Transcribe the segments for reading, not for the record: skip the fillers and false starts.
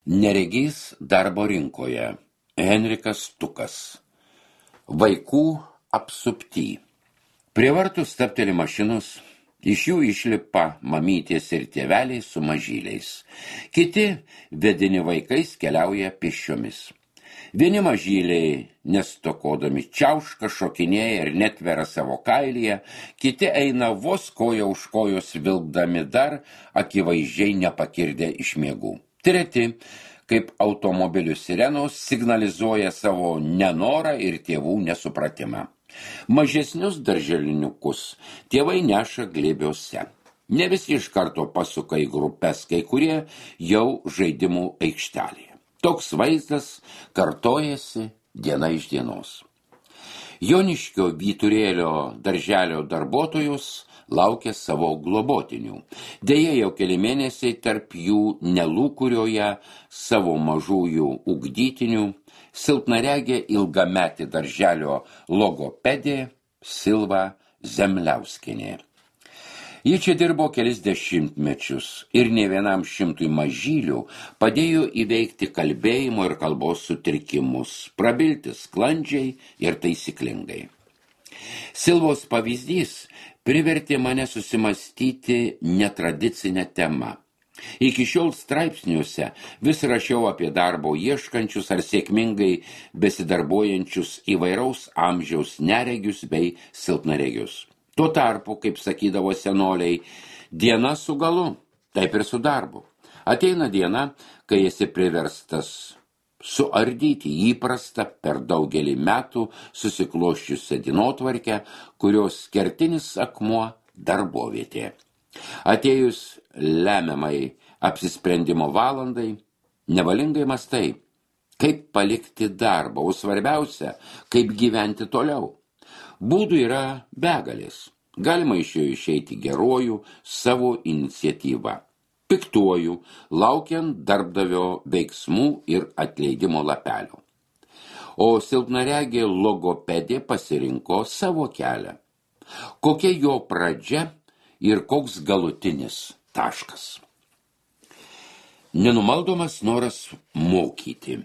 Neregys darbo rinkoje. Henrikas Tukas. Vaikų apsupty. Prie vartų stabteli mašinos, iš jų išlipa mamytės ir tėveliai su mažyliais. Kiti vedini vaikais keliauja pėsčiomis. Vieni mažyliai, nestokodami čiauška, šokinėja ir netvera savo kailyje, kiti eina vos koja už kojos vilkdami dar akivaizdžiai nepakirdę iš miegų. Treti, kaip automobilių sirenos, signalizuoja savo nenorą ir tėvų nesupratimą. Mažesnius darželiniukus tėvai neša glėbiuose. Ne visi iš karto pasuka į grupes, kai kurie jau žaidimų aikštelėje. Toks vaizdas kartojasi diena iš dienos. Joniškio Vyturėlio darželio darbuotojus laukia savo globotinių. Deja, jau keli mėnesiai tarp jų nelūkurioja savo mažųjų ugdytinių silpnaregė ilgametė darželio logopedė Silva Zemliauskienė. Ji čia dirbo kelis dešimtmečius ir ne vienam šimtui mažylių padėjo įveikti kalbėjimo ir kalbos sutrikimus, prabilti sklandžiai ir taisyklingai. Silvos pavyzdys privertė mane susimastyti netradicinę temą. Iki šiol straipsniuose vis rašiau apie darbo ieškančius ar sėkmingai besidarbuojančius įvairaus amžiaus neregius bei silpnaregius. Tuo tarpu, kaip sakydavo senoliai, diena su galu, taip ir su darbu. Ateina diena, kai esi priverstas suardyti įprastą per daugelį metų susiklosčiusią dienotvarkę, kurios kertinis akmuo darbovietė. Atėjus lemiamai apsisprendimo valandai, nevalingai mąstai, kaip palikti darbą, o svarbiausia, kaip gyventi toliau. Būdų yra begalės. Galima iš jo išeiti geruoju savo iniciatyvą, piktuoju, laukiant darbdavio veiksmų ir atleidimo lapelio. O silpnaregė logopedė pasirinko savo kelią. Kokia jo pradžia ir koks galutinis taškas? Nenumaldomas noras mokyti.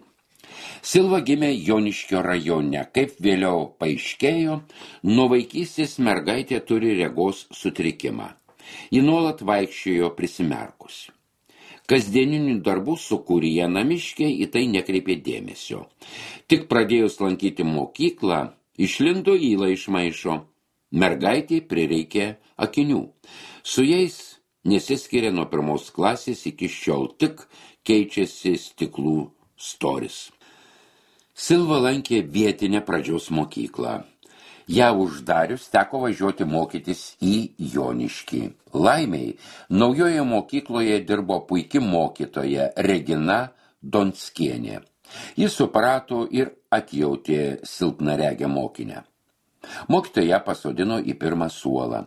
Silva gimė Joniškio rajone. Kaip vėliau paaiškėjo, nuo vaikystės mergaitė turi regos sutrikimą. Ji nuolat vaikščiojo prisimerkusi. Kasdieninių darbų sukūrėje namiškė į tai nekreipė dėmesio. Tik pradėjus lankyti mokyklą, išlindo įla iš maišo. Mergaitė prireikė akinių. Su jais nesiskiria nuo pirmos klasės iki šiol, tik keičiasi stiklų storis. Silva lankė vietinę pradžios mokyklą. Ją uždarius teko važiuoti mokytis į Joniškį. Laimiai, naujoje mokykloje dirbo puiki mokytoja Regina Donskienė. Jis suprato ir atjautė silpnaregę mokinę. Mokytoja pasodino į pirmą suolą.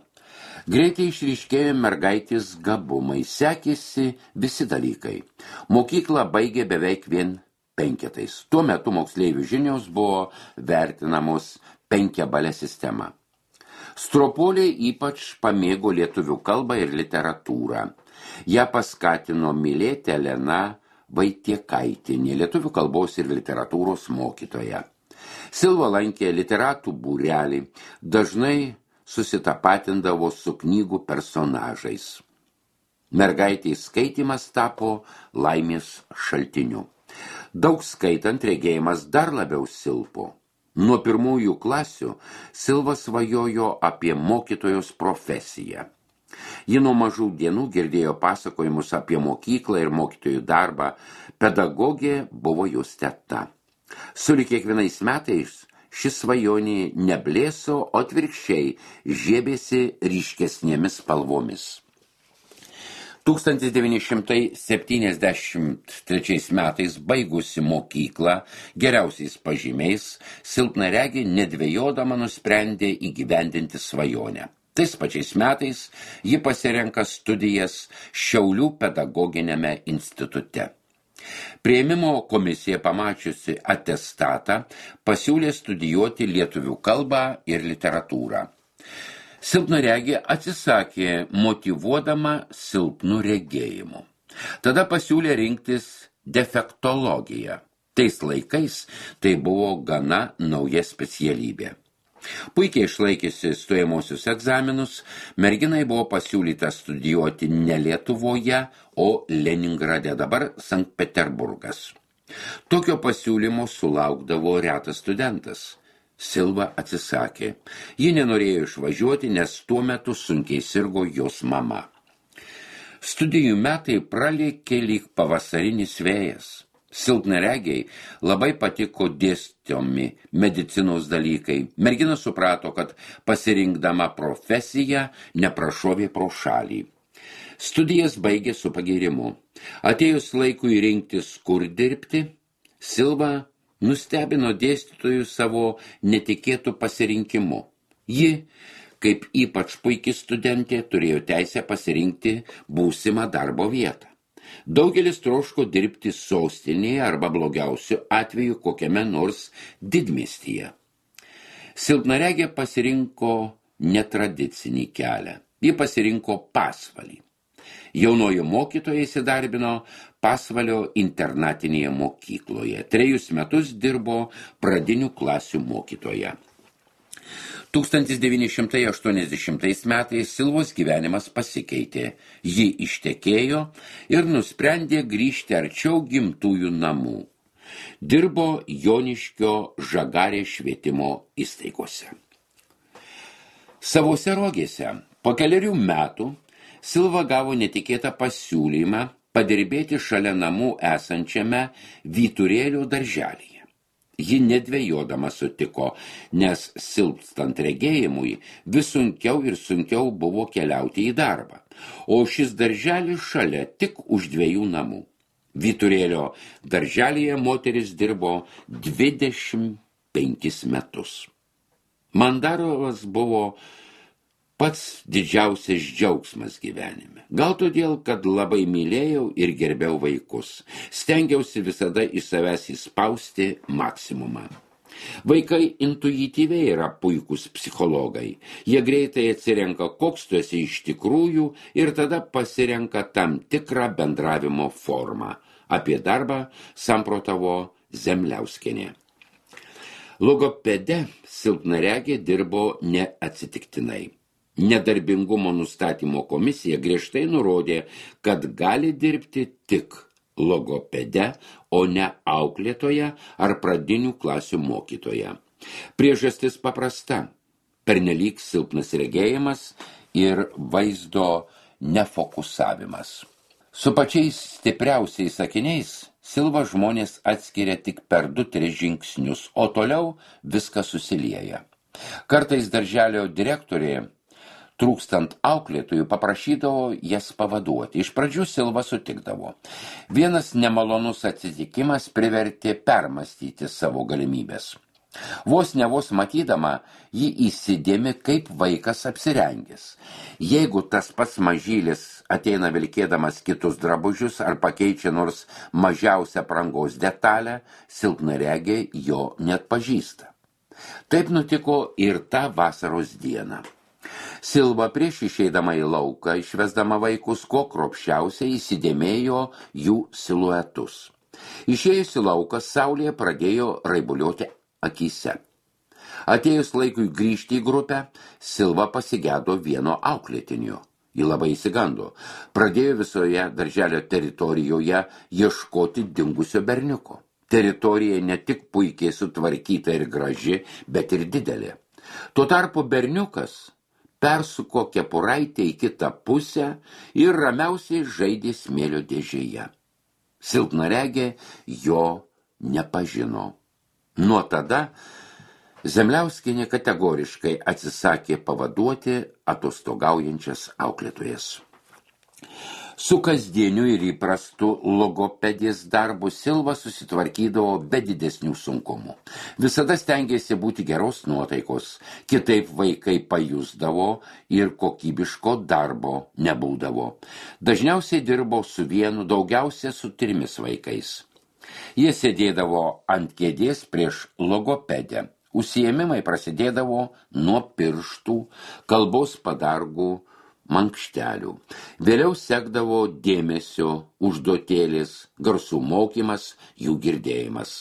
Greitai išryškėjo mergaitės gabumai, sekėsi visi dalykai. Mokyklą baigė beveik vien penketais. Tuo metu moksleivių žinios buvo vertinamos penkiabalė sistema. Stropuoliai ypač pamėgo lietuvių kalbą ir literatūrą. Ją paskatino mylėti Elena Vaitiekaitinė, lietuvių kalbos ir literatūros mokytoja. Silva lankė literatų būrelį, dažnai susitapatindavo su knygų personažais. Mergaitės skaitymas tapo laimės šaltiniu. Daug skaitant regėjimas dar labiau silpo. Nuo pirmųjų klasių Silva svajojo apie mokytojos profesiją. Ji nuo mažų dienų girdėjo pasakojimus apie mokyklą ir mokytojų darbą. Pedagogė buvo jos teta. Sulig kiekvienais metais šis svajonė neblėso, o atvirkščiai žiebėsi ryškesnėmis spalvomis. 1973 metais baigusi mokyklą geriausiais pažymiais, silpnaregė nedvejodama nusprendė įgyvendinti svajonę. Tais pačiais metais ji pasirenka studijas Šiaulių pedagoginiame institute. Priėmimo komisija pamačiusi atestatą pasiūlė studijuoti lietuvių kalbą ir literatūrą. Silpnaregė atsisakė, motyvuodama silpnu regėjimu. Tada pasiūlė rinktis defektologija. Tais laikais tai buvo gana nauja specialybė. Puikiai išlaikiusi stojamosius egzaminus, merginai buvo pasiūlyta studijuoti ne Lietuvoje, o Leningrade, dabar Sankt Peterburgas. Tokio pasiūlymo sulaukdavo retas studentas. Silva atsisakė. Ji nenorėjo išvažiuoti, nes tuo metu sunkiai sirgo jos mama. Studijų metai pralėkė lyg pavasarinis vėjas. Silpnaregiai labai patiko dėstomi medicinos dalykai. Mergina suprato, kad pasirinkdama profesiją neprašovė pro šalį. Studijas baigė su pagyrimu. Atėjus laikui rinktis, kur dirbti, Silva nustebino dėstytojų savo netikėtų pasirinkimu. Ji, kaip ypač puiki studentė, turėjo teisę pasirinkti būsimą darbo vietą. Daugelis troško dirbti sostinėje arba blogiausiu atveju kokiame nors didmiestyje. Silpnaregė pasirinko netradicinį kelią. Ji pasirinko Pasvalį. Jaunoji mokytoja įsidarbino Pasvalio internatinėje mokykloje. 3 metus dirbo pradinių klasių mokytoja. 1980 metais Silvos gyvenimas pasikeitė. Ji ištekėjo ir nusprendė grįžti arčiau gimtųjų namų. Dirbo Joniškio Žagarės švietimo įstaigose. Savose Rogėse po 4 metų Silva gavo netikėtą pasiūlymą padirbėti šalia namų esančiame Vyturėlių darželyje. Ji nedvejodama sutiko, nes silpstant regėjimui vis sunkiau ir sunkiau buvo keliauti į darbą, o šis darželis šalia tik už 2 namų. Vyturėlio darželyje moteris dirbo 25 metus. Mandarovas buvo pats didžiausias džiaugsmas gyvenime. Gal todėl, kad labai mylėjau ir gerbiau vaikus. Stengiausi visada iš savęs įspausti maksimumą. Vaikai intuityviai yra puikūs psichologai. Jie greitai atsirenka, koks tu esi iš tikrųjų ir tada pasirenka tam tikrą bendravimo formą. Apie darbą samprotavo Zemliauskienė. Logopede silpnaregė dirbo neatsitiktinai. Nedarbingumo nustatymo komisija griežtai nurodė, kad gali dirbti tik logopede, o ne auklėtoja ar pradinių klasių mokytoja. Priežastis paprasta – pernelyg silpnas regėjimas ir vaizdo nefokusavimas. Su pačiais stipriausiais sakiniais Silva žmonės atskiria tik per 2-3 žingsnius, o toliau viskas susilieja. Kartais darželio direktorė trūkstant auklėtojų paprašydavo jas pavaduoti. Iš pradžių Silva sutikdavo. Vienas nemalonus atsitikimas privertė permastyti savo galimybės. Vos matydama, ji įsidėmi, kaip vaikas apsirengęs. Jeigu tas pats mažylis ateina vilkėdamas kitus drabužius ar pakeičia nors mažiausią aprangos detalę, silpnaregė jo net pažįsta. Taip nutiko ir tą vasaros dieną. Silva prieš išeidama į lauką, išvesdama vaikus, kuo kruopščiausiai įsidėmėjo jų siluetus. Išėjus į lauką, saulė pradėjo raibuliuoti akyse. Atėjus laikui grįžti į grupę, Silva pasigėdo vieno auklėtinio. Ji labai įsigando. Pradėjo visoje darželio teritorijoje ieškoti dingusio berniuko. Teritorija ne tik puikiai sutvarkyta ir graži, bet ir didelė. Tuo tarpu berniukas persuko kepuraitę į kitą pusę ir ramiausiai žaidė smėlio dėžėje. Silpnaregė jo nepažino. Nuo tada Zemliauskienė kategoriškai atsisakė pavaduoti atostogaujančias auklėtojas. Su kasdieniu ir įprastu logopedės darbu Silva susitvarkydavo be didesnių sunkumų. Visada stengėsi būti geros nuotaikos, kitaip vaikai pajusdavo ir kokybiško darbo nebūdavo. Dažniausiai dirbo su vienu, daugiausia su 3 vaikais. Jie sėdėdavo ant kėdės prieš logopedę. Užsiėmimai prasidėdavo nuo pirštų, kalbos padargų, mankštelių. Vėliau sekdavo dėmesio užduotėlis, garsų mokymas, jų girdėjimas.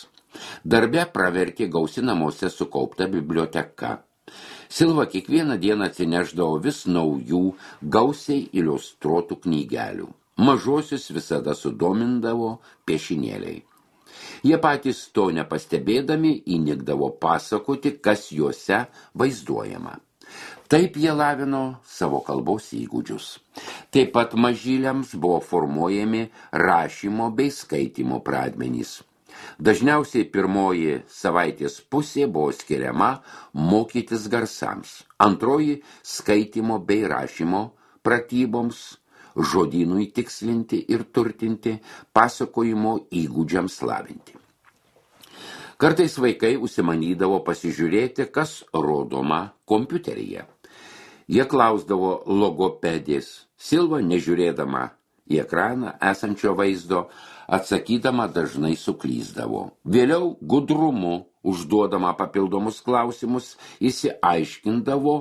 Darbe pravertė gausi namuose sukaupta biblioteka. Silva kiekvieną dieną atsineždavo vis naujų, gausiai iliustruotų knygelių. Mažosius visada sudomindavo piešinėliai. Jie patys to nepastebėdami įnikdavo pasakoti, kas juose vaizduojama. Taip jie lavino savo kalbos įgūdžius. Taip pat mažyliams buvo formuojami rašymo bei skaitymo pradmenys. Dažniausiai pirmoji savaitės pusė buvo skiriama mokytis garsams, antroji skaitymo bei rašymo pratyboms, žodynui tikslinti ir turtinti, pasakojimo įgūdžiams lavinti. Kartais vaikai užsimanydavo pasižiūrėti, kas rodoma kompiuteryje. Jie klausdavo logopedės. Silva, nežiūrėdama į ekraną esančio vaizdo, atsakydama dažnai suklysdavo. Vėliau gudrumu, užduodama papildomus klausimus, išsiaiškindavo,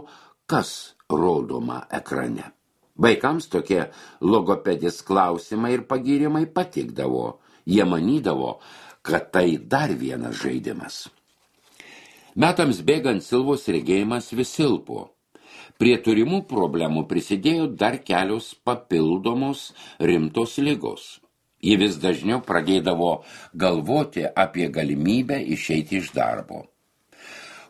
kas rodoma ekrane. Vaikams tokie logopedės klausimai ir pagyrimai patikdavo. Jie manydavo, kad tai dar vienas žaidimas. Metams bėgant Silvos regėjimas vis silpo. Prie turimų problemų prisidėjo dar kelios papildomos rimtos ligos. Ji vis dažniau pradėdavo galvoti apie galimybę išeiti iš darbo.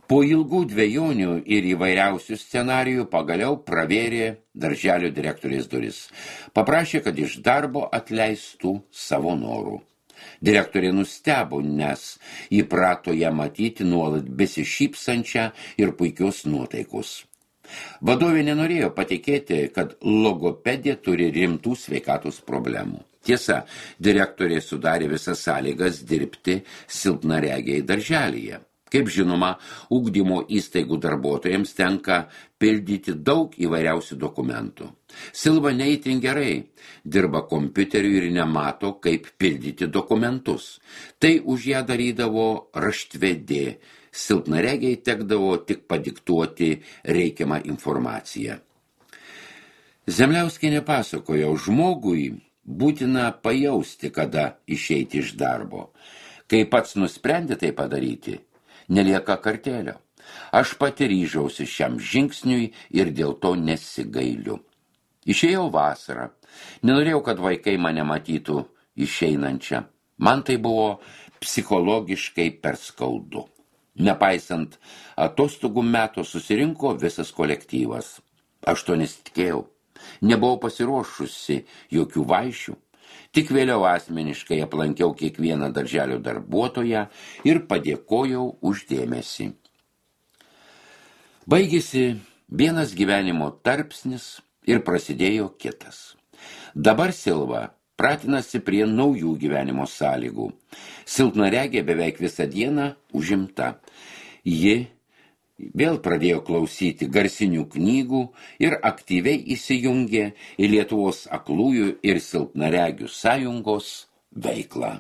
Po ilgų dvejonių ir įvairiausių scenarijų pagaliau pravėrė darželio direktorės duris. Paprašė, kad iš darbo atleistų savo norų. Direktorė nustebo, nes įprato ją matyti nuolat besišypsančią ir puikios nuotaikos. Vadovė nenorėjo patikėti, kad logopedė turi rimtų sveikatos problemų. Tiesa, direktorė sudarė visas sąlygas dirbti silpnaregiai darželyje. Kaip žinoma, ugdymo įstaigų darbuotojams tenka pildyti daug įvairiausių dokumentų. Silva ne itin gerai dirba kompiuteriu ir nemato, kaip pildyti dokumentus. Tai už ją darydavo raštvedė. Silpnaregiai tekdavo tik padiktuoti reikiamą informaciją. Zemliauskienė pasakojo, žmogui būtina pajausti, kada išeiti iš darbo. Kai pats nusprendė tai padaryti, nelieka kartelio. Aš pati ryžausi šiam žingsniui ir dėl to nesigailiu. Išėjau vasarą. Nenorėjau, kad vaikai mane matytų išeinančią. Man tai buvo psichologiškai per skaudu. Nepaisant atostogų meto susirinko visas kolektyvas. Aš to nesitikėjau. Nebuvau pasiruošusi jokių vaišių. Tik vėliau asmeniškai aplankiau kiekvieną darželio darbuotoją ir padėkojau už dėmesį. Baigėsi vienas gyvenimo tarpsnis ir prasidėjo kitas. Dabar Silva pratinasi prie naujų gyvenimo sąlygų. Silpnaregė beveik visą dieną užimta. Ji vėl pradėjo klausyti garsinių knygų ir aktyviai įsijungė į Lietuvos aklųjų ir silpnaregių sąjungos veiklą.